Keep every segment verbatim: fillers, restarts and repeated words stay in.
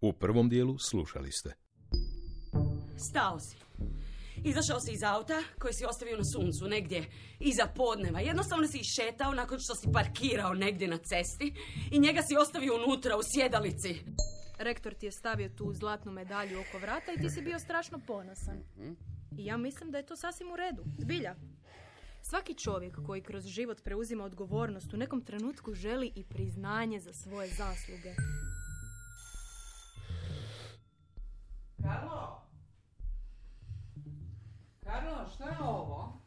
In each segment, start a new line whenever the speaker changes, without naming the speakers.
U prvom dijelu slušali ste.
Stao si. Izašao si iz auta koji si ostavio na suncu negdje iza podneva. Jednostavno si išetao nakon što si parkirao negdje na cesti i njega si ostavio unutra u sjedalici.
Rektor ti je stavio tu zlatnu medalju oko vrata i ti si bio strašno ponosan. I ja mislim da je to sasvim u redu. Zbilja. Svaki čovjek koji kroz život preuzima odgovornost u nekom trenutku želi i priznanje za svoje zasluge.
Karlo? Karlo, šta je ovo?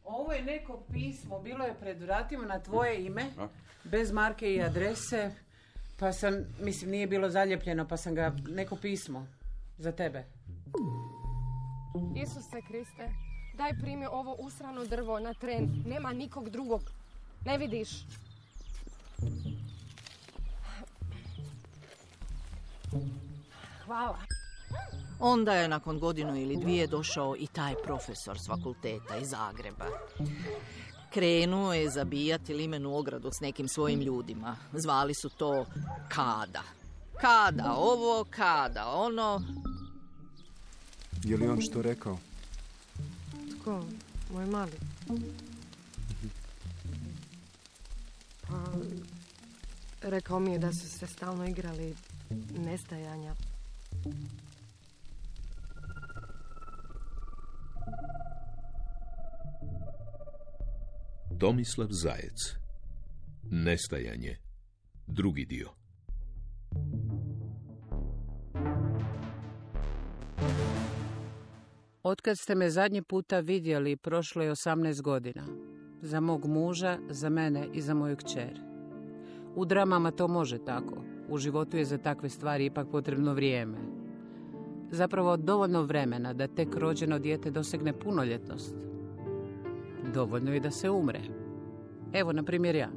Ovo je neko pismo, bilo je pred vratima na tvoje ime, a? Bez marke i adrese, pa sam, mislim, nije bilo zaljepljeno, pa sam ga, neko pismo za tebe.
Isuse Kriste, daj primi ovo usrano drvo na tren, nema nikog drugog, ne vidiš? Hvala.
Onda je nakon godinu ili dvije došao i taj profesor s fakulteta iz Zagreba. Krenuo je zabijati limenu ogradu s nekim svojim ljudima. Zvali su to Kada. Kada ovo, Kada ono.
Je li on što rekao?
Tko? Moj mali. Pa, rekao mi je da su se stalno igrali nestajanja.
Tomislav Zajec. Nestajanje. Drugi dio.
Otkad ste me zadnji puta vidjeli, prošlo je osamnaest godina. Za mog muža, za mene i za moju kćer. U dramama to može tako. U životu je za takve stvari ipak potrebno vrijeme. Zapravo dovoljno vremena da tek rođeno dijete dosegne punoljetnost. Dovoljno je da se umre. Evo, na primjer ja.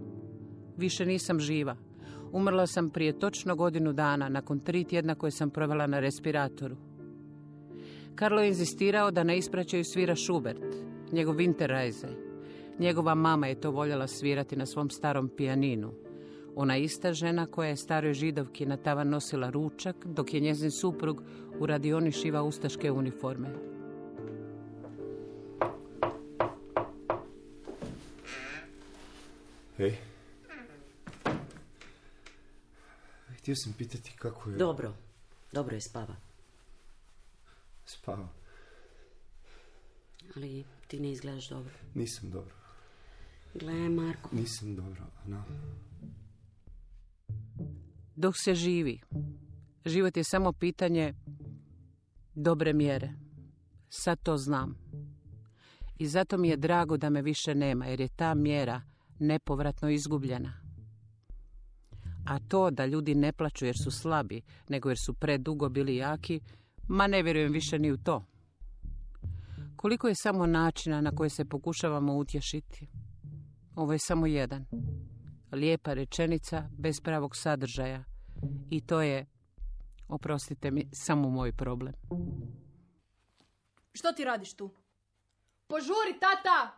Više nisam živa. Umrla sam prije točno godinu dana, nakon tri tjedna koje sam provela na respiratoru. Karlo je inzistirao da na ispraćaju svira Schubert, njegov Winterreise. Njegova mama je to voljela svirati na svom starom pijaninu. Ona ista žena koja je staroj Židovki na tavan nosila ručak, dok je njezin suprug u radioni šiva ustaške uniforme.
Hej. Htio sam pitati kako je...
Dobro, dobro je, spava.
Spava.
Ali ti ne izgledaš dobro.
Nisam dobro.
Gle, Marko.
Nisam dobro, no.
Dok se živi, život je samo pitanje dobre mjere. Sad to znam. I zato mi je drago da me više nema, jer je ta mjera nepovratno izgubljena. A to da ljudi ne plaču jer su slabi, nego jer su predugo bili jaki, ma ne vjerujem više ni u to. Koliko je samo načina na koje se pokušavamo utješiti. Ovo je samo jedan. Lijepa rečenica bez pravog sadržaja. I to je, oprostite mi, samo moj problem.
Što ti radiš tu? Požuri, tata!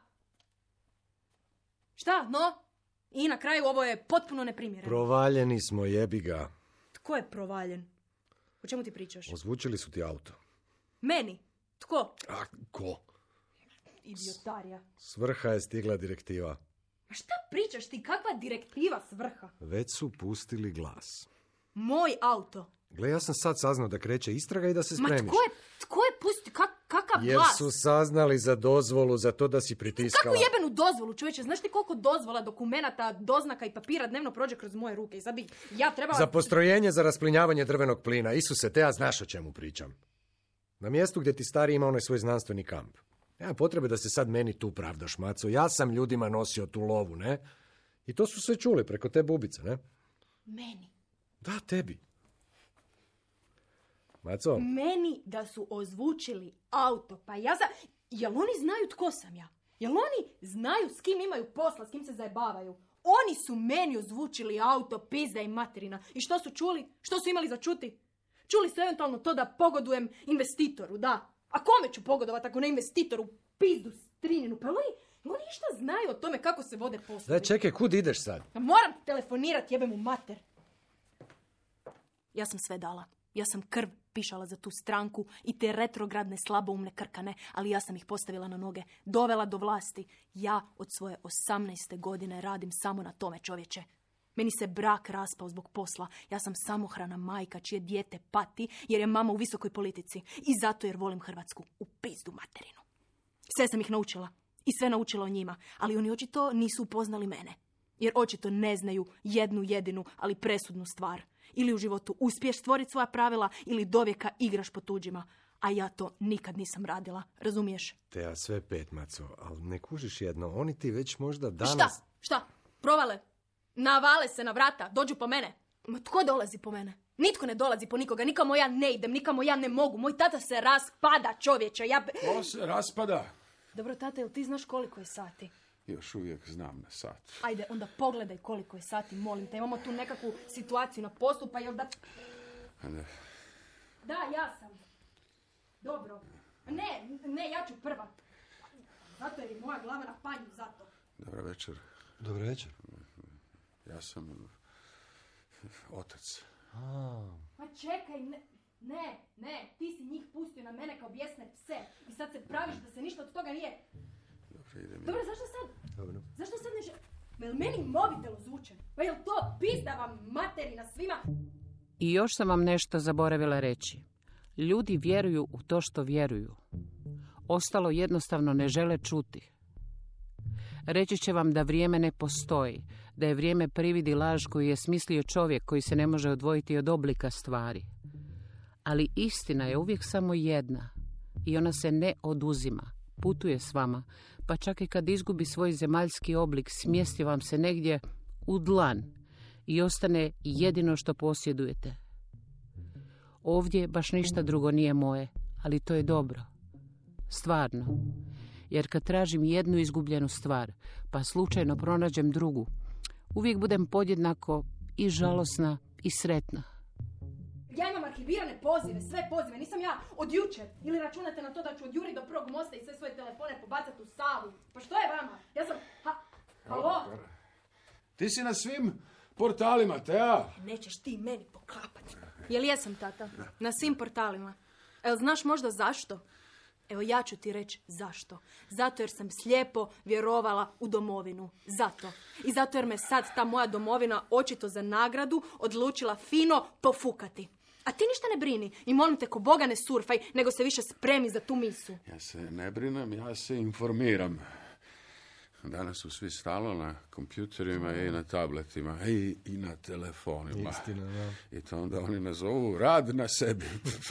Šta, no? I na kraju ovo je potpuno neprimjereno.
Provaljeni smo, jebi ga.
Tko je provaljen? O čemu ti pričaš?
Ozvučili su ti auto.
Meni? Tko?
A, ko?
Idiotarija.
S vrha je stigla direktiva.
A šta pričaš ti? Kakva direktiva s vrha?
Već su pustili glas.
Moj auto.
Gle, ja sam sad saznao da kreće istraga i da se spremiš.
Ma tko je, tko je pusti, kak, kakav
Jer
glas?
su saznali za dozvolu, za to da si pritiskala.
Kakvu jebenu dozvolu, čovječe? Znaš ti koliko dozvola, dokumenata, doznaka i papira dnevno prođe kroz moje ruke? I sad bi ja trebala...
Za postrojenje za rasplinjavanje drvenog plina. Isuse, te ja znaš o čemu pričam. Na mjestu gdje ti stari ima onaj svoj znanstveni kamp. Nema potrebe da se sad meni tu pravdaš, maco. Ja sam ljudima nosio tu lovu, ne? I to su sve čuli preko te bubice, ne?
Meni?
Da, tebi. Maco?
Meni da su ozvučili auto. Pa ja za... Jel oni znaju tko sam ja? Jel oni znaju s kim imaju posla, s kim se zajebavaju? Oni su meni ozvučili auto, pizda i materina. I što su čuli? Što su imali za čuti? Čuli su eventualno to da pogodujem investitoru, da. A kome ću pogodovati ako ne investitoru? Pizdu, strinjenu. Pa oni, oni išta znaju o tome kako se vode poslovi.
Da, čekaj, kud ideš sad?
Moram telefonirati, jebem u mater. Ja sam sve dala. Ja sam krv pišala za tu stranku i te retrogradne slaboumne krkane, ali ja sam ih postavila na noge, dovela do vlasti. Ja od svoje osamnaeste godine radim samo na tome, čovječe. Meni se brak raspao zbog posla. Ja sam samohrana majka čije dijete pati jer je mama u visokoj politici. I zato jer volim Hrvatsku. U pizdu materinu. Sve sam ih naučila. I sve naučila o njima. Ali oni očito nisu upoznali mene. Jer očito ne znaju jednu jedinu, ali presudnu stvar. Ili u životu uspiješ stvoriti svoja pravila, ili dovijeka igraš po tuđima. A ja to nikad nisam radila. Razumiješ?
Te ja sve pet, Maco, ali ne kužiš jedno. Oni ti već možda danas...
Šta? Šta? Provale? Navale se na vrata, dođu po mene. Ma tko dolazi po mene? Nitko ne dolazi po nikoga, nikamo ja ne idem, nikamo ja ne mogu. Moj tata se raspada, čovječe. Ja...
Ko se raspada?
Dobro, tata, jel ti znaš koliko je sati?
Još uvijek znam na sat.
Ajde, onda pogledaj koliko je sati, molim te. Imamo tu nekakvu situaciju na poslu, pa jel da...
Ne.
Da, ja sam. Dobro. Ne, ne, ja ću prva. Zato jer je moja glava na panju, zato.
Dobar večer.
Dobar večer.
Ja sam otac.
A.
Pa čekaj, ne, ne, ne, ti si njih pustio na mene kao bijesne pse i sad se praviš da se ništa od toga nije...
Dobro, idem.
Dobro, zašto sad?
Dobro.
Zašto sad ne žel... Ma jel meni mobitel ozvučen? Pa jel to pizda vam materina svima?
I još sam vam nešto zaboravila reći. Ljudi vjeruju u to što vjeruju. Ostalo jednostavno ne žele čuti. Reći će vam da vrijeme ne postoji, da je vrijeme privid i laž koju je smislio čovjek koji se ne može odvojiti od oblika stvari. Ali istina je uvijek samo jedna i ona se ne oduzima, putuje s vama, pa čak i kad izgubi svoj zemaljski oblik, smjesti vam se negdje u dlan i ostane jedino što posjedujete. Ovdje baš ništa drugo nije moje, ali to je dobro. Stvarno. Jer kad tražim jednu izgubljenu stvar, pa slučajno pronađem drugu, uvijek budem podjednako i žalosna i sretna.
Ja imam arhivirane pozive, sve pozive, nisam ja od jučer. Ili računate na to da ću odjuriti do prvog mosta i sve svoje telefone pobacati u Savu. Pa što je vama? Ja sam... Ha... Halo?
Ti si na svim portalima, Teja.
Nećeš ti meni poklapati. Jel jesam, tata? Na svim portalima. Evo, znaš možda zašto? Evo, ja ću ti reći zašto. Zato jer sam slijepo vjerovala u domovinu. Zato. I zato jer me sad ta moja domovina očito za nagradu odlučila fino pofukati. A ti ništa ne brini i molim te ko Boga ne surfaj, nego se više spremi za tu misu.
Ja se ne brinem, ja se informiram. Danas su svi stalno na kompjuterima i na tabletima i, i na telefonima.
Istina, da.
I to onda oni nazovu rad na sebi.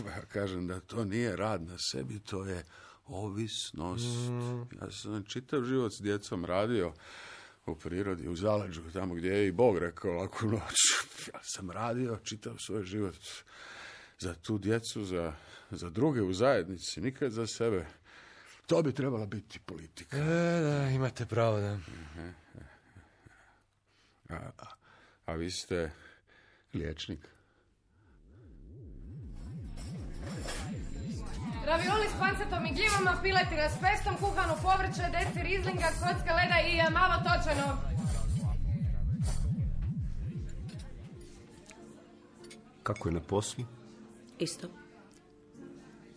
Ja kažem da to nije rad na sebi, to je ovisnost. Mm. Ja sam čitav život s djecom radio u prirodi, u zaleđu, tamo gdje je i Bog rekao laku noć. Ja sam radio čitav svoj život za tu djecu, za, za druge u zajednici, nikad za sebe. To bi trebala biti politika.
E, da, imate pravo, da.
A, a, a vi ste liječnik?
Ravioli s pancetom i gljivama, piletina s pestom, kuhano povrće, deci rizlinga, kocka leda i malo točeno.
Kako je na poslu?
Isto.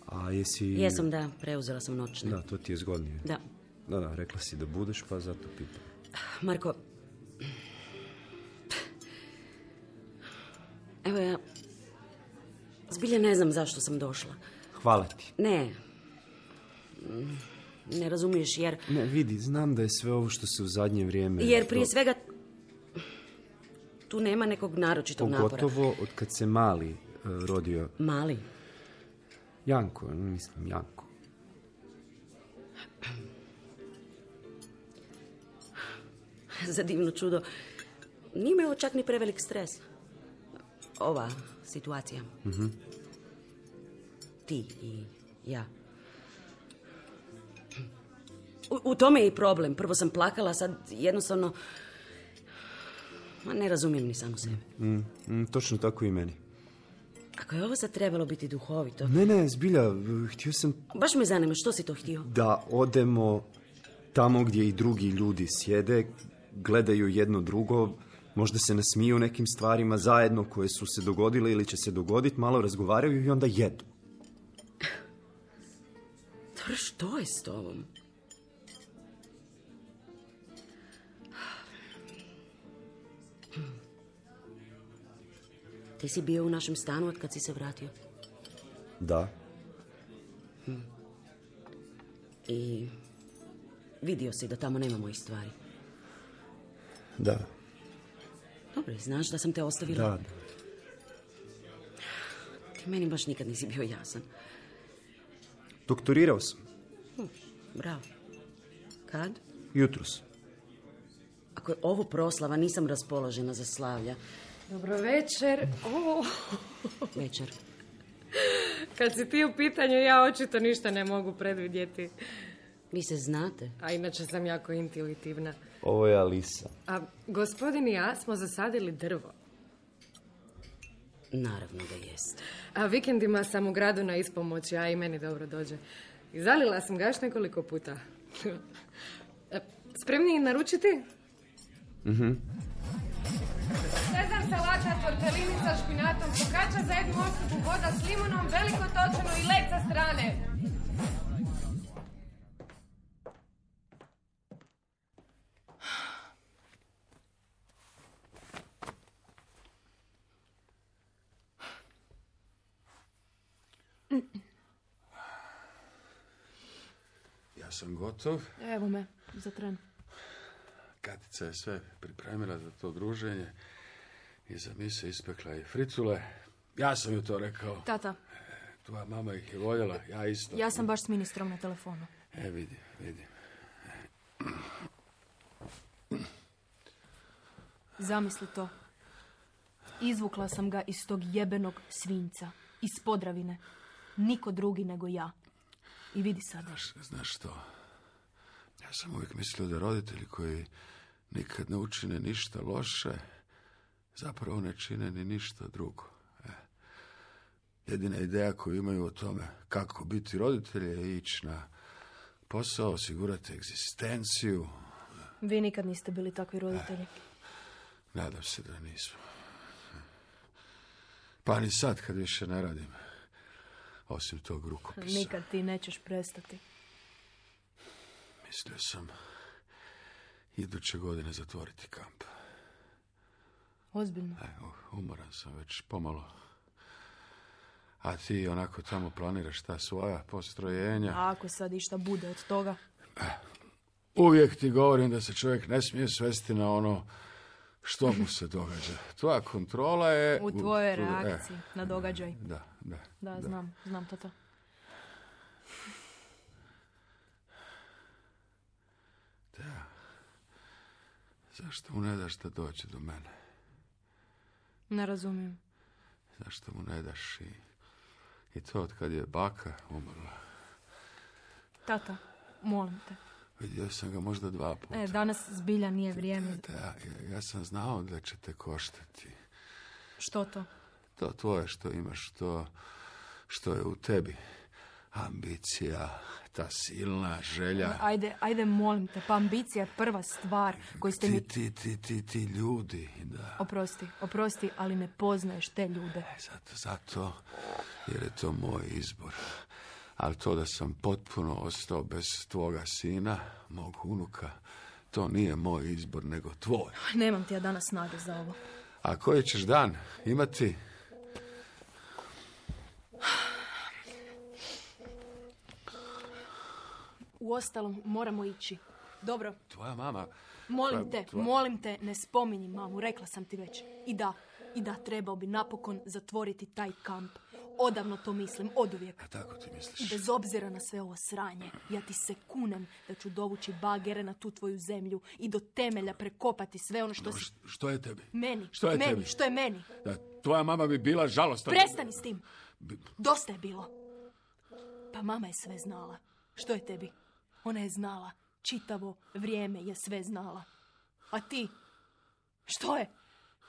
A jesi...
Jesam, da, preuzela sam noćne.
Da, to ti je zgodnije.
Da.
Da, da, rekla si da budeš, pa zato pitam.
Marko, evo ja, zbilja ne znam zašto sam došla.
Hvala ti.
Ne, ne razumiješ jer...
Ne, vidi, znam da je sve ovo što se u zadnje vrijeme...
Jer prije svega tu nema nekog naročitog napora.
Pogotovo od kad se Mali uh, rodio.
Mali?
Janko, mislim Janko.
Za divno čudo, nije me ovo čak ni prevelik stres. Ova situacija.
Mhm.
Ti i ja. U, u tome je i problem. Prvo sam plakala, sad jednostavno... Ma ne razumijem ni samu sebe.
Mm, mm, točno tako i meni.
Ako je ovo sad trebalo biti duhovito...
Ne, ne, zbilja, htio sam...
Baš me zanima, što si to htio?
Da odemo tamo gdje i drugi ljudi sjede, gledaju jedno drugo, Možda se nasmiju nekim stvarima zajedno koje su se dogodile ili će se dogoditi, malo razgovaraju i onda jedu.
Dobro, što je s tobom? Ti si bio u našem stanu od kad si se vratio?
Da.
Hm. I vidio si da tamo nema mojih stvari?
Da.
Dobro, znaš da sam te ostavila?
Da.
Ti meni baš nikad nisi bio jasan.
Doktorirao sam.
Hm, bravo. Kad?
Jutros.
Ako je ovo proslava, nisam raspoložena za slavlja.
Dobro večer. Oh.
Večer.
Kad si ti u pitanju, ja očito ništa ne mogu predvidjeti.
Vi se znate?
A inače sam jako intuitivna.
Ovo je Alisa.
A gospodin i ja smo zasadili drvo.
Naravno da jest.
A vikendima sam u gradu na ispomoći, a i meni dobro dođe. I zalila sam ga još nekoliko puta. Spremni naručiti?
Mhm.
Sezam salata, tortellini sa špinatom, focaccia za jednu osobu, voda s limunom, veliko točeno i led sa strane.
Ja sam gotov.
Evo me, za tren.
Katica je sve pripremila za to druženje i za mise ispekla i fricule. Ja sam ju to rekao.
Tata.
Tvoja mama ih je voljela, ja isto.
Ja sam baš s ministrom na telefonu.
E, vidim, vidim.
Zamisli to. Izvukla sam ga iz tog jebenog svinjca. Iz Podravine. Niko drugi nego ja. I vidi sada.
Znaš, znaš što? Ja sam uvijek mislio da roditelji koji nikad ne učine ništa loše, zapravo ne čine ni ništa drugo. E. Jedina ideja koju imaju o tome kako biti roditelj je ići na posao, osigurati egzistenciju.
Vi nikad niste bili takvi roditelji.
E. Nadam se da nismo. Pa ni sad kad više ne radim. Osim tog rukopisa.
Nikad ti nećeš prestati.
Mislio sam iduće godine zatvoriti kamp.
Ozbiljno?
E, umoran sam već pomalo. A ti onako tamo planiraš ta svoja postrojenja.
A ako sad išta bude od toga?
Uvijek ti govorim da se čovjek ne smije svesti na ono što mu se događa. Tvoja kontrola je...
U tvojoj
u,
reakciji
e,
na događaj.
Da, da.
Da,
da.
znam, znam tata.
Da. Zašto mu ne daš da dođe do mene?
Ne razumijem.
Zašto mu ne daš i, i to od kad je baka umrla?
Tata, molim te.
Vidio sam ga možda dva puta.
E, danas zbilja nije vrijeme.
Da, ja, ja sam znao da će te koštati.
Što to?
To tvoje što imaš, to što je u tebi. Ambicija, ta silna želja.
Ajde, ajde, molim te, pa ambicija je prva stvar koju ste mi...
Ti, ti, ti, ti ljudi, da.
Oprosti, oprosti, ali ne poznaješ te ljude.
E, zato, zato, jer je to moj izbor. Ali to da sam potpuno ostao bez tvoga sina, mog unuka, to nije moj izbor, nego tvoj.
Nemam ti ja danas snage za ovo.
A koji ćeš dan imati?
Uostalom, moramo ići. Dobro.
Tvoja mama...
Molim
tvoja,
te,
tvoja...
molim te, ne spominji mamu, rekla sam ti već. I da, i da, trebao bi napokon zatvoriti taj kamp. Odavno to mislim, oduvijek.
A tako ti misliš?
Bez obzira na sve ovo sranje, ja ti se kunem da ću dovući bagere na tu tvoju zemlju i do temelja prekopati sve ono što
no,
si...
Što je tebi?
Meni,
što je
meni,
tebi?
što je meni?
Da, tvoja mama bi bila žalostna.
Prestani s tim. Dosta je bilo. Pa mama je sve znala. Što je tebi? Ona je znala. Čitavo vrijeme je sve znala. A ti? Što je?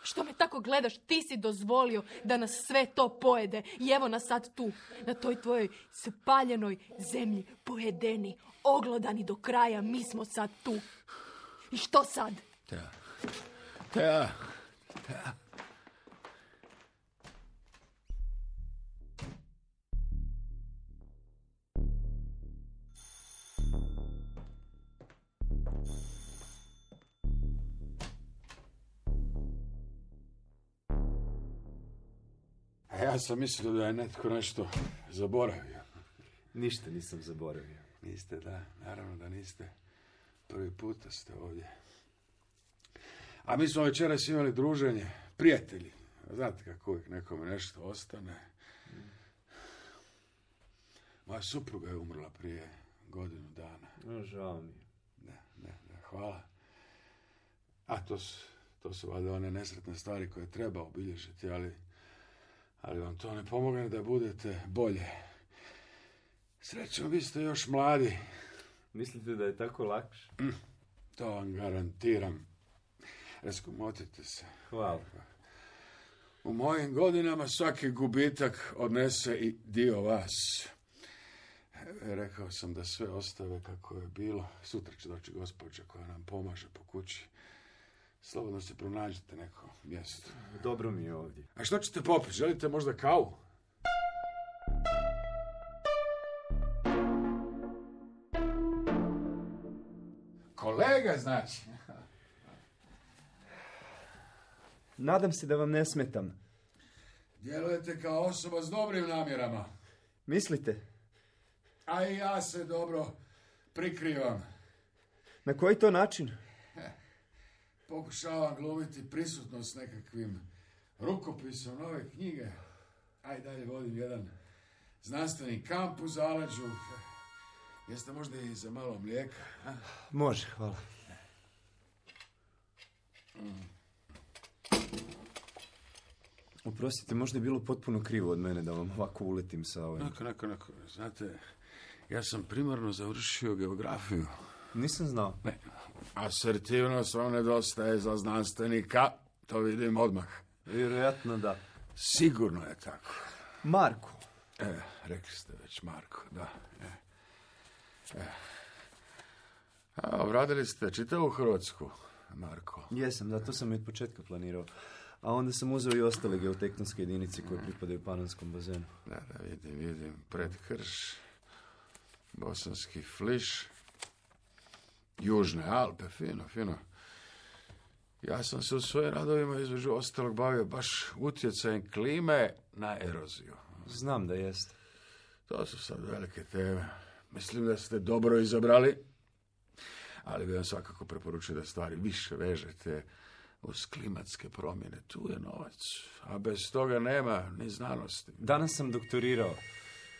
Što me tako gledaš? Ti si dozvolio da nas sve to pojede. I evo nas sad tu, na toj tvojoj spaljenoj zemlji, pojedeni, oglodani do kraja. Mi smo sad tu. I što sad?
Teja, Teja, A ja sam mislio da je netko nešto zaboravio.
Ništa nisam zaboravio.
Niste, da, naravno da niste. Prvi puta ste ovdje. A mi smo večeras imali druženje, prijatelji. Znate kako uvijek nekome nešto ostane. Moja supruga je umrla prije godinu dana.
No, žao mi.
Ne, ne, ne, hvala. A to su, to su valjda one nesretne stvari koje treba obilježiti, ali, ali vam to ne pomogne da budete bolje. Srećom, vi ste još mladi.
Mislite da je tako lakše?
Mm, to vam garantiram. Raskomotite se.
Hvala.
U mojim godinama svaki gubitak odnese i dio vas. Rekao sam da sve ostave kako je bilo. Sutra će doći gospođa koja nam pomaže po kući. Slobodno se pronađite neko mjesto.
Dobro mi je ovdje.
A što ćete popiti? Želite možda kavu? Kolega, znači.
Nadam se da vam ne smetam.
Djelujete kao osoba s dobrim namjerama.
Mislite?
A i ja se dobro prikrivam.
Na koji to način?
Pokušavam glumiti prisutnost nekakvim rukopisom nove knjige. A i dalje vodim jedan znanstveni kamp u zaleđu. Jeste možda i za malo mlijeka? A?
Može, hvala.
Mm.
Oprostite, možda je bilo potpuno krivo od mene da vam ovako uletim sa ovim.
Nako, nako, nako. Znate, ja sam primarno završio geografiju.
Nisam znao.
Ne. Asertivnost vam nedostaje za znanstvenika, to vidim odmah.
Vjerojatno da.
Sigurno je tako.
Marko.
E, rekli ste već Marko, da. E. E. A, obradili ste čitavu Hrvatsku, Marko.
Jesam, da, to sam i od početka planirao. A onda sam uzeo i ostale geotektonske jedinice koje pripadaju Panonskom bazenu.
Da, da, vidim, vidim. Predkrš, Bosanski fliš, Južne Alpe, fino, fino. Ja sam se u svojim radovima između ostalog bavio baš utjecajem klime na eroziju.
Znam da jeste.
To su sad velike teme. Mislim da ste dobro izabrali, ali bi vam svakako preporučio da stvari više vežete uz klimatske promjene. Tu je novac, a bez toga nema ni znanosti.
Danas sam doktorirao.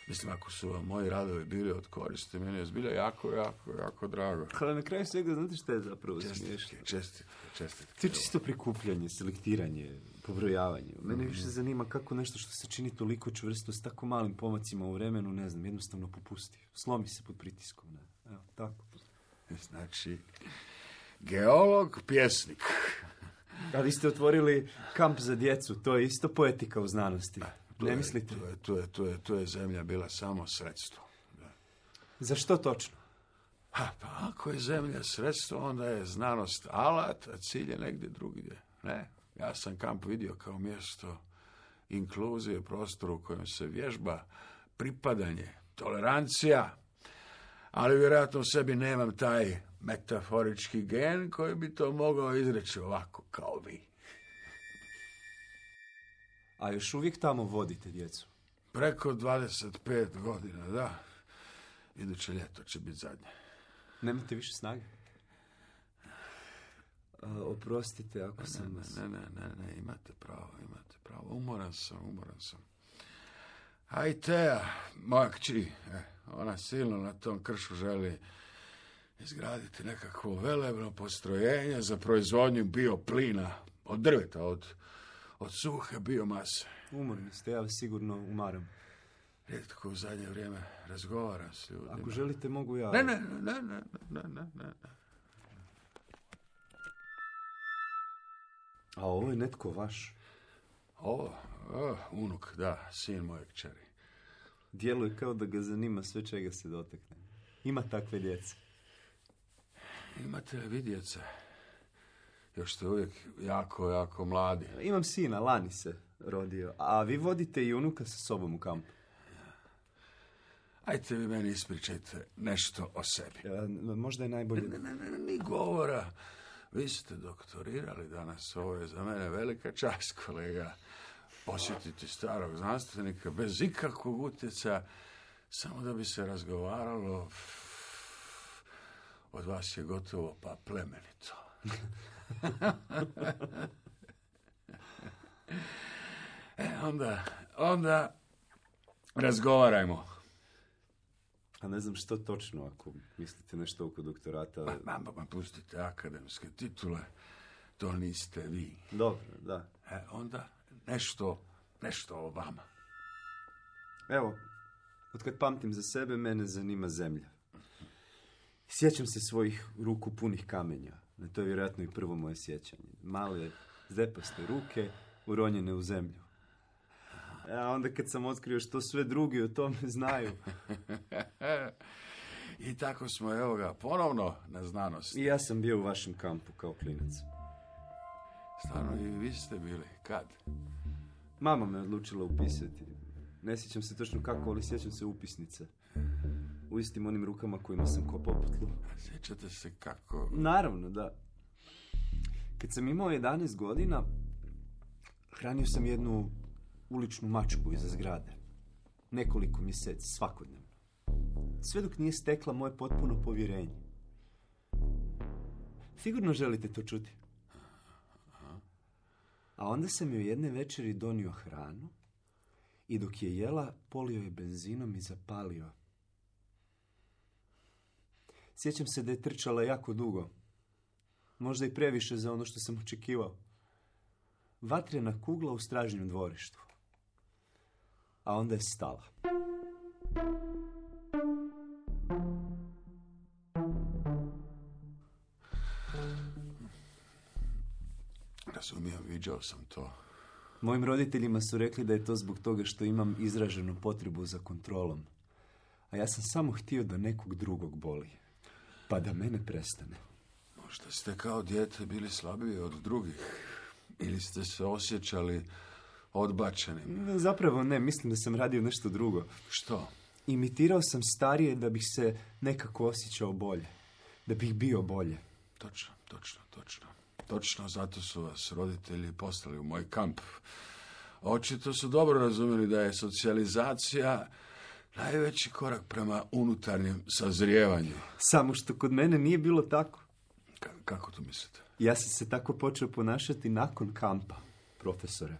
Mislim, ako su vam moji radovi bili od koristi, meni je zbilja jako, jako, jako drago.
Ali na kraju svega, znate šta je zapravo
Čestitke,
smiješno?
čestitke, čestitke.
To je čisto prikupljanje, selektiranje, pobrojavanje. Mene više zanima kako nešto što se čini toliko čvrsto s tako malim pomacima u vremenu, ne znam, jednostavno popusti. Slomi se pod pritiskom, ne? Evo, tako.
Znači, geolog, pjesnik.
A vi ste otvorili kamp za djecu, to je isto poetika u znanosti. Ne mislite?
Tu je, tu je, tu je, tu je zemlja bila samo sredstvo. Da.
Za što točno?
Ha, pa ako je zemlja sredstvo, onda je znanost alat, a cilj je negdje drugdje. Ne, ja sam kamp vidio kao mjesto inkluzije, prostor u kojem se vježba, pripadanje, tolerancija, ali vjerojatno u sebi nemam taj metaforički gen koji bi to mogao izreći ovako kao vi.
A još uvijek tamo vodite djecu?
Preko dvadeset pet godina, da. Iduće ljeto će biti zadnje.
Nemate više snage? A, oprostite ako
ne,
sam
ne,
vas...
Ne, ne, ne, ne, imate pravo, imate pravo. Umoran sam, umoran sam. A i Teja, moja kći, eh, ona silno na tom kršu želi izgraditi nekakvo velebno postrojenje za proizvodnju bioplina od drveta, od, od suhe biomase.
Umorni ste, ja vas sigurno umaram.
Rijetko u zadnje vrijeme razgovaram s ljudima.
Ako želite, mogu ja...
Ne, ne, ne, ne, ne, ne, ne.
A ovo je netko vaš?
Ovo, oh, unuk, da, sin moje kćeri.
Djeluje kao da ga zanima sve čega se dotakne. Ima takve djece.
Imate li vi djece? Još ste uvijek jako, jako mladi.
Imam sina, lani se rodio. A vi vodite i unuka sa sobom u kampu.
Ajte vi meni ispričajte nešto o sebi.
Ja, možda je najbolje...
Ne, ne, ne, ni govora. Vi ste doktorirali danas, ovo je za mene velika čast, kolega. Posjetiti starog znanstvenika bez ikakvog utjecaja, samo da bi se razgovaralo. Od vas je gotovo pa plemenito. E, onda, onda razgovarajmo.
A ne znam što točno, ako mislite nešto oko doktorata.
Ma, ma, ma pustite akademske titule, to niste vi.
Dobro, da.
E, onda nešto, nešto o vama.
Evo, otkad pamtim za sebe, mene zanima zemlja. Sjećam se svojih ruku punih kamenja. To je vjerojatno i prvo moje sjećanje. Male, zepaste ruke, uronjene u zemlju. A onda kad sam otkrio što sve drugi o tome znaju.
I tako smo, evo ga, ponovno na znanosti.
I ja sam bio u vašem kampu kao klinac.
Stvarno, i vi ste bili. Kad?
Mama me odlučila upisati. Ne sjećam se točno kako, ali sjećam se upisnice. U istim onim rukama kojima sam kopao po tlu.
Sjećate se kako...
Naravno, da. Kad sam imao jedanaest godina, hranio sam jednu uličnu mačku iza zgrade. Nekoliko mjeseci, svakodnevno. Sve dok nije stekla moje potpuno povjerenje. Sigurno želite to čuti. A onda sam joj jedne večeri donio hranu i dok je jela, polio je benzinom i zapalio. Sjećam se da je trčala jako dugo. Možda i previše za ono što sam očekivao. Vatrena kugla u stražnjem dvorištu. A onda je stala.
Razumijem, viđao sam to.
Mojim roditeljima su rekli da je to zbog toga što imam izraženu potrebu za kontrolom. A ja sam samo htio da nekog drugog boli. Pa da mene prestane.
Možda ste kao dijete bili slabiji od drugih. Ili ste se osjećali odbačenim.
Zapravo ne, mislim da sam radio nešto drugo.
Što?
Imitirao sam starije da bih se nekako osjećao bolje. Da bih bio bolje.
Točno, točno, točno. Točno, zato su vas roditelji poslali u moj kamp. Očito su dobro razumjeli da je socijalizacija najveći korak prema unutarnjem sazrijevanju.
Samo što kod mene nije bilo tako.
K- kako to mislite?
Ja sam se tako počeo ponašati nakon kampa, profesore.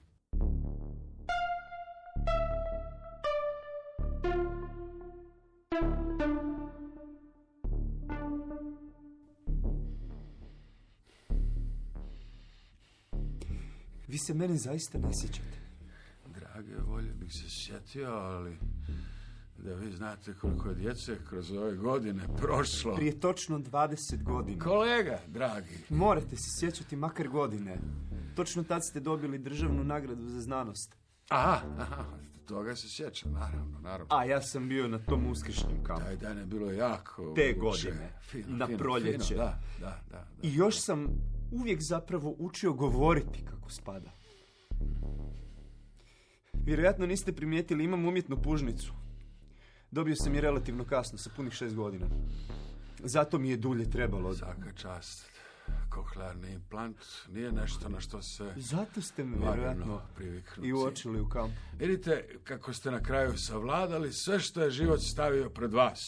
Vi se mene zaista ne sjećate.
Drage volje bih se sjetio, ali da vi znate koliko je djece kroz ove godine prošlo.
Prije točno dvadeset godina.
Kolega, dragi.
Morate se sjećati makar godine. Točno tad ste dobili državnu nagradu za znanost.
Aha, aha, toga se sjećam, naravno, naravno.
A ja sam bio na tom uskršnjem kampu.
Taj dan je bilo jako...
Te
uče.
godine,
Fino,
na
fino,
proljeće.
Fino, da, da, da, da.
I još sam uvijek zapravo učio govoriti kako spada. Vjerojatno niste primijetili, imam umjetnu pužnicu. Dobio sam je relativno kasno, sa punih šest godina. Zato mi je dulje trebalo.
Svaka čast. Kohlearni implant nije nešto na što se...
Zato ste me vjerojatno i uočili u kampu.
Vidite kako ste na kraju savladali sve što je život stavio pred vas.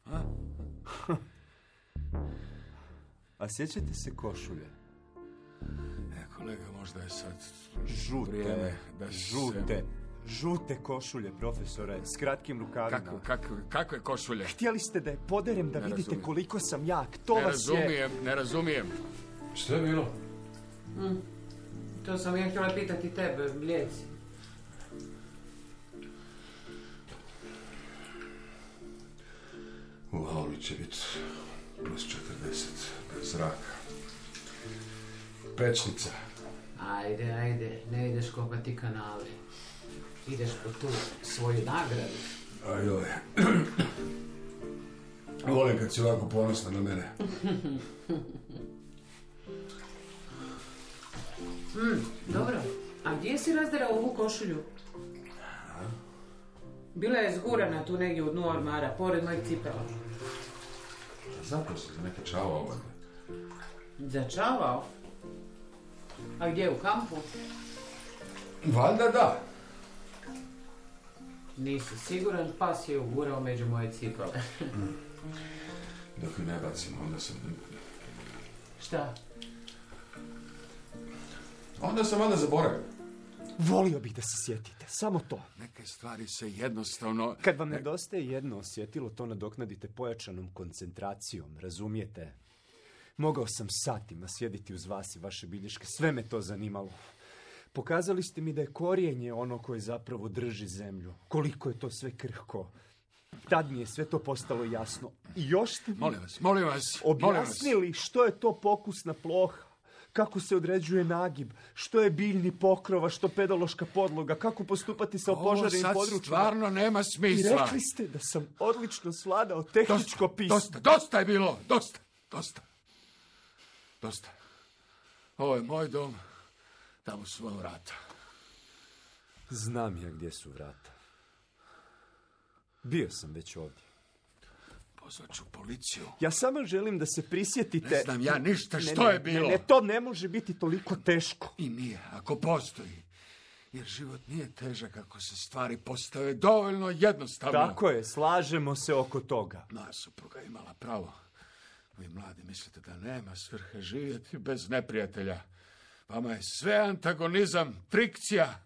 A,
A sjećate se košulje?
E, kolega, možda je sad
Žute,
vrijeme da
žute,
se...
žute košulje, profesore, s kratkim rukavima.
Kako, kako, kakve košulje?
Htjeli ste da je poderem da
Ne
vidite
razumijem.
koliko sam jak. To
Ne
vas
razumijem,
je...
ne razumijem. Što je bilo?
Mm. To sam ja htjela pitati tebe, Bljeci.
U auli će biti plus četrdeset, bez zraka. Pečnica.
Ajde, ajde, ne ideš kopati kanale. Ideš po tu svoju nagradu.
Ajoj. Volim kad si ovako ponosna na mene.
Mm, dobro. A gdje si razderao ovu košulju? Bila je zgurana tu negdje u dnu ormara, pored mojeg cipela.
Zato sam neke čavao ovdje.
Začavao? A gdje, u kampu?
Valjda da.
Nisi siguran, pas je ugurao među moje cipele.
Dok ju ne bacim, onda sam...
Šta?
Onda sam valjda zaboravio.
Volio bih da se sjetite, samo to.
Neke stvari se jednostavno...
Kad vam nedostaje jedno osjetilo, to nadoknadite pojačanom koncentracijom, razumijete? Mogao sam satima sjediti uz vas i vaše bilješke, sve me to zanimalo. Pokazali ste mi da je korijenje ono koje zapravo drži zemlju. Koliko je to sve krhko. Tad mi je sve to postalo jasno. I još ste mi
Molim vas, molim vas,
objasnili
molim vas.
što je to pokusna ploha. Kako se određuje nagib, što je biljni pokrova, što pedološka podloga, kako postupati sa opožarenim područjima.
Ovo sad stvarno nema
I
smisla.
rekli ste da sam odlično svladao tehničko
dosta,
pismo.
Dosta, dosta je bilo, dosta, dosta. Dosta. Ovo je moj dom, tamo su moja vrata.
Znam ja gdje su vrata. Bio sam već ovdje.
Pozvat ću policiju.
Ja samo želim da se prisjetite...
Ne znam ja ništa
Ne,
što
ne,
je bilo.
Ne, ne, to ne može biti toliko teško.
I nije, ako postoji. Jer život nije težak ako se stvari postave dovoljno jednostavno.
Tako je, slažemo se oko toga.
Moja supruga imala pravo. Vi mladi mislite da nema svrhe živjeti bez neprijatelja. Vama je sve antagonizam, frikcija.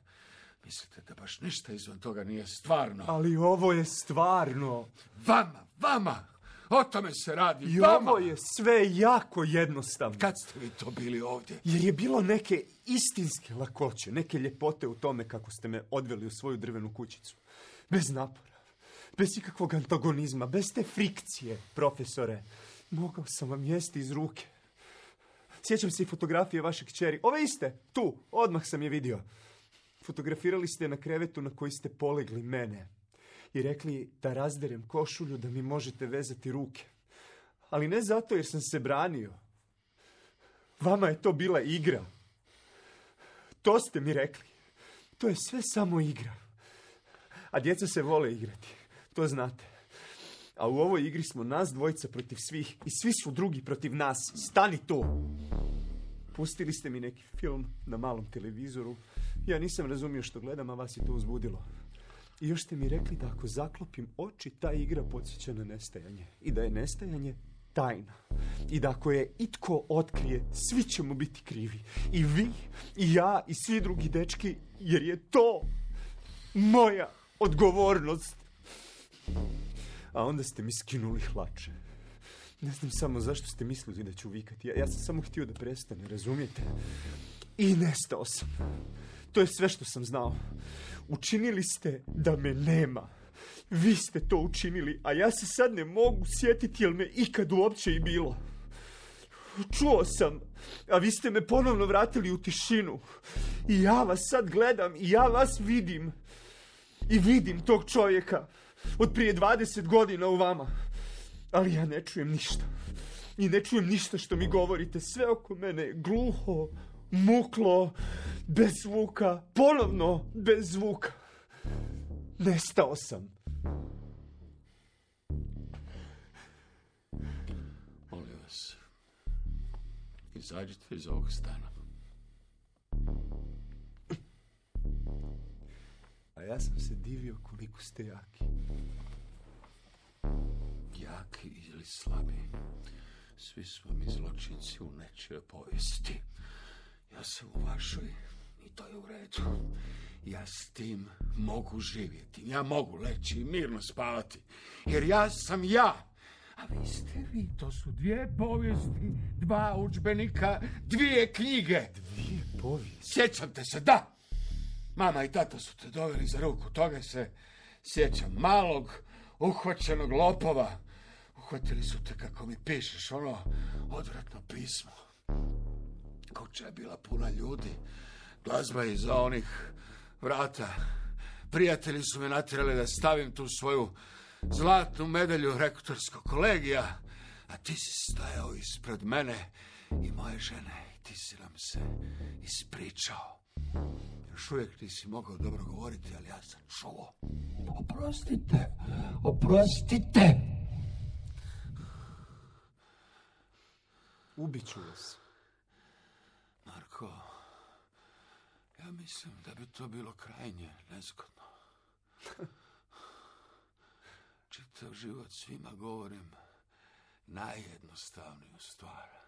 Mislite da baš ništa izvan toga nije stvarno.
Ali ovo je stvarno.
Vama, vama! O tome se radi,
I
vama!
ovo je sve jako jednostavno.
Kad ste vi to bili ovdje?
Jer je bilo neke istinske lakoće, neke ljepote u tome kako ste me odveli u svoju drvenu kućicu. Bez napora, bez ikakvog antagonizma, bez te frikcije, profesore. Mogao sam vam jesti iz ruke. Sjećam se i fotografije vaše kćeri. Ove iste, tu, odmah sam je vidio. Fotografirali ste na krevetu na koji ste polegli mene. I rekli da razderem košulju da mi možete vezati ruke. Ali ne zato jer sam se branio. Vama je to bila igra. To ste mi rekli. To je sve samo igra. A djeca se vole igrati. To znate. A u ovoj igri smo nas dvojica protiv svih. I svi su drugi protiv nas. Stani tu. Pustili ste mi neki film na malom televizoru. Ja nisam razumio što gledam, a vas je to uzbudilo. I još ste mi rekli da ako zaklopim oči, ta igra podsjeća na nestajanje. I da je nestajanje tajna. I da ako je itko otkrije, svi ćemo biti krivi. I vi, i ja, i svi drugi dečki, jer je to moja odgovornost. A onda ste mi skinuli hlače. Ne znam samo zašto ste mislili da ću vikati. Ja, ja sam samo htio da prestane, razumijete? I nestao sam. To je sve što sam znao. Učinili ste da me nema. Vi ste to učinili, a ja se sad ne mogu sjetiti jel me ikad uopće i bilo. Čuo sam, a vi ste me ponovno vratili u tišinu. I ja vas sad gledam i ja vas vidim. I vidim tog čovjeka od prije dvadeset godina u vama. Ali ja ne čujem ništa. I ne čujem ništa što mi govorite. Sve oko mene je gluho, muklo, bez zvuka, ponovno bez zvuka. Nestao sam.
Molim vas, izađite iz ovog stana.
A ja sam se divio koliko ste jaki.
Jaki ili slabi, svi smo mi zločinci u nečijoj povijesti. Ja sam u vašoj i to je u redu. Ja s tim mogu živjeti. Ja mogu leći i mirno spavati. Jer ja sam ja. A vi ste vi. To su dvije povijesti, dva udžbenika, dvije knjige.
Dvije povijesti?
Sjećate se, da. Mama i tata su te doveli za ruku. Toga se sjećam. Malog, uhvaćenog lopova. Uhvatili su te, kako mi pišeš, ono odvratno pismo. Kuća je bila puna ljudi. Glazba je iza onih vrata. Prijatelji su me natjerali da stavim tu svoju zlatnu medalju rektorskog kolegija. A ti si stajao ispred mene i moje žene. ti si nam se ispričao. Još uvijek nisi mogao dobro govoriti, ali ja sam čuo. Oprostite, oprostite.
Ubiću vas.
Marko, ja mislim da bi to bilo krajnje nezgodno. Čitav život svima govorim najjednostavniju stvar.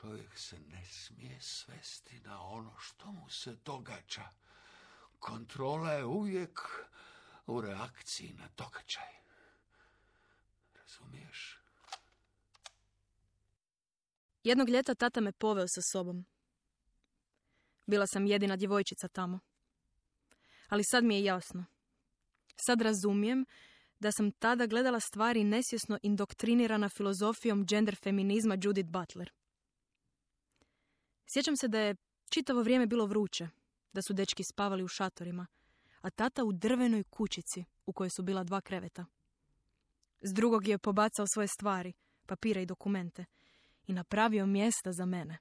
Čovjek se ne smije svesti na ono što mu se događa. Kontrola je uvijek u reakciji na događaj. Razumiješ?
Jednog ljeta tata me poveo sa sobom. Bila sam jedina djevojčica tamo. Ali sad mi je jasno. Sad razumijem da sam tada gledala stvari nesvjesno indoktrinirana filozofijom gender feminizma Judith Butler. Sjećam se da je čitavo vrijeme bilo vruće, da su dečki spavali u šatorima, a tata u drvenoj kućici u kojoj su bila dva kreveta. S drugog je pobacao svoje stvari, papire i dokumente i napravio mjesta za mene.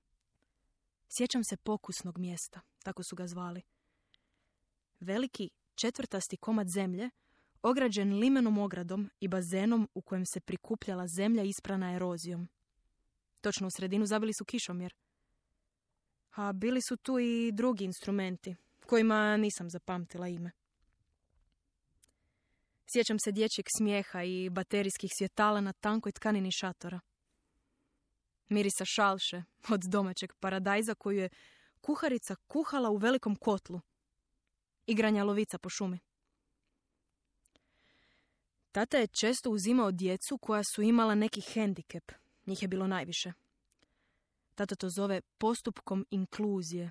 Sjećam se pokusnog mjesta, tako su ga zvali. Veliki četvrtasti komad zemlje, ograđen limenom ogradom i bazenom u kojem se prikupljala zemlja isprana erozijom. Točno u sredinu zabili su kišomjer. A bili su tu i drugi instrumenti, kojima nisam zapamtila ime. Sjećam se dječjeg smijeha i baterijskih svjetala na tankoj tkanini šatora. Mirisa šalše od domaćeg paradajza koju je kuharica kuhala u velikom kotlu. Igranja lovica po šumi. Tata je često uzimao djecu koja su imala neki hendikep. Njih je bilo najviše. Tata to zove postupkom inkluzije.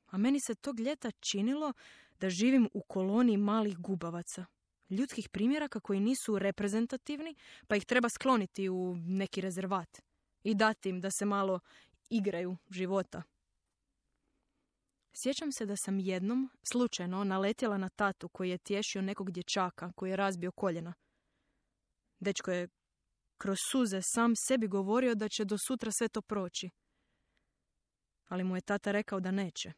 A meni se tog ljeta činilo da živim u koloniji malih gubavaca. Ljudskih primjeraka koji nisu reprezentativni, pa ih treba skloniti u neki rezervat. I dati im da se malo igraju života. Sjećam se da sam jednom, slučajno, naletjela na tatu koji je tješio nekog dječaka koji je razbio koljena. Dečko je kroz suze sam sebi govorio da će do sutra sve to proći. Ali mu je tata rekao da neće.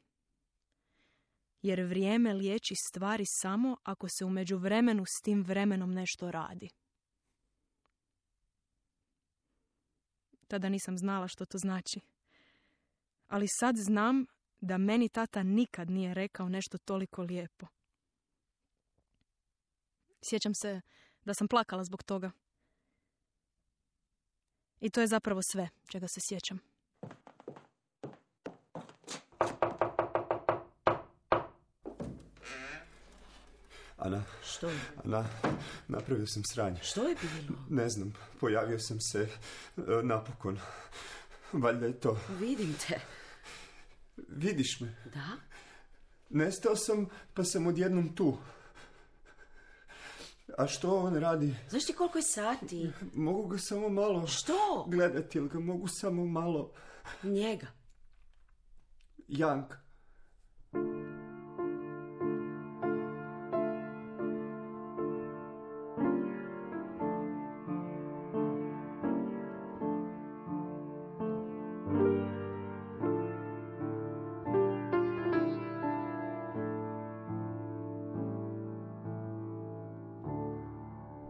Jer vrijeme liječi stvari samo ako se u međuvremenu s tim vremenom nešto radi. Tada nisam znala što to znači. Ali sad znam da meni tata nikad nije rekao nešto toliko lijepo. Sjećam se da sam plakala zbog toga. I to je zapravo sve čega se sjećam.
Ana.
Što je?
Ana, napravio sam sranje.
Što je bilo?
Ne znam, pojavio sam se e, napokon. Valjda je to.
Vidim te.
Vidiš me?
Da?
Nestao sam, pa sam odjednom tu. A što on radi?
Znaš ti koliko je sati?
Mogu ga samo malo...
Što?
Gledati, ili ga mogu samo malo...
Njega.
Janka.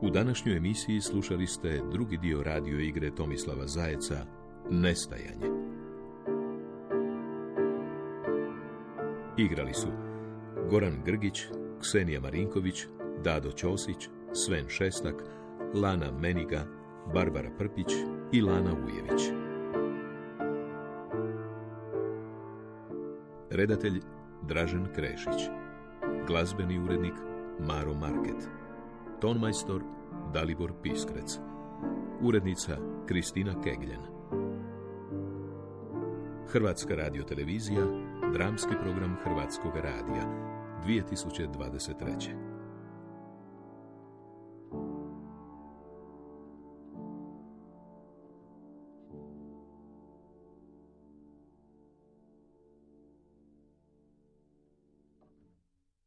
U današnjoj emisiji slušali ste drugi dio radio igre Tomislava Zajeca Nestajanje. Igrali su Goran Grgić, Ksenija Marinković, Dado Ćosić, Sven Šestak, Lana Meniga, Barbara Prpić i Lana Ujević. Redatelj Dražen Krešić. Glazbeni urednik Maro Market. Tonmajstor Dalibor Piskrec. Urednica Kristina Kegljen. Hrvatska radiotelevizija, dramski program Hrvatskog radija, dvije tisuće dvadeset treće.